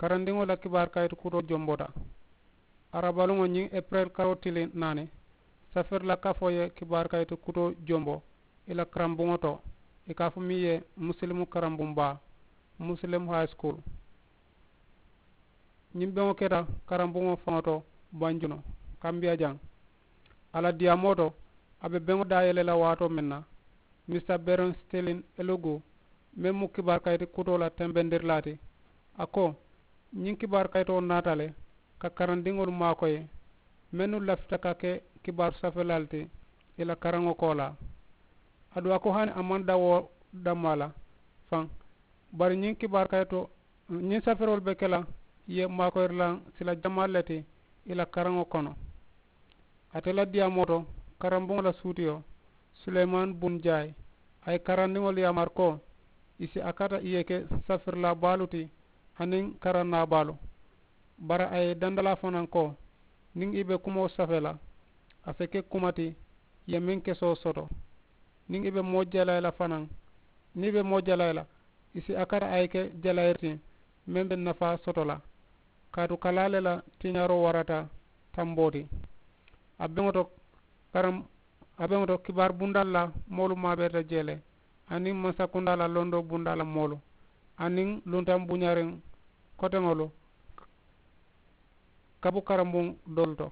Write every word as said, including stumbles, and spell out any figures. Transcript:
Karandiŋo la kibaari kayiti kutoo jomboota. Arabaluŋo ñiŋ eperel karoo tili naani, safiri la kafoo ye kibaari kayiti kutoo jombo i la karambuŋo to, i ka a fo miŋ ye musilimu karambuŋ baa, musilimu high school. Ñiŋ beŋo keta karambuŋo faŋo to banjunu, kambiya jaŋ. A la diyaamoo to, a be beŋo daayele la waatoo meŋ na, mista beron stilin elugu, meŋ mu kibaari kayiti kutoo la tembendirilaa ti, a ko, ñiŋ kibaari kayitoo naata le ka karandiŋolu maakoyi, mennu lafita ka ke kibaaru safeelaalu ti i la karaŋo koolaa. Aduŋ a ko hani a maŋ daŋ wo dammaa la faŋ, bari ñiŋ kibaari kayitoo ñiŋ safeeroolu be ke la ye maakoyirilaŋ sila jamaalu le ti i la karaŋo kono. Ate la diyaamoo to, karambuŋo la suutiyo, suleymaani bun jaayi, a ye karandiŋolu yaamari ko i si a kata i ye ke safirilaa baalu ti aniŋ karannaa baalu. Bari a ye i dandalaa fanaŋ ko niŋ i be kumoo safee la, a si ke kuma ti i ye meŋ kesoo soto. Niŋ i be moo jalayi la fanaŋ, niŋ i be moo jalayi la, i si a kata a ye ke jalayiri ti meŋ be nafaa soto la. Kaatu kalaa le la tiñaaroo warata tamboo ti. A beŋo to karam a beŋo to kibaari bundaa la moolu maabeerita jee le, aniŋ mansakundaa la londoo bundaa la moolu, aniŋ luntaŋ buñaariŋ koteŋolu kabu karambuŋ doolu to.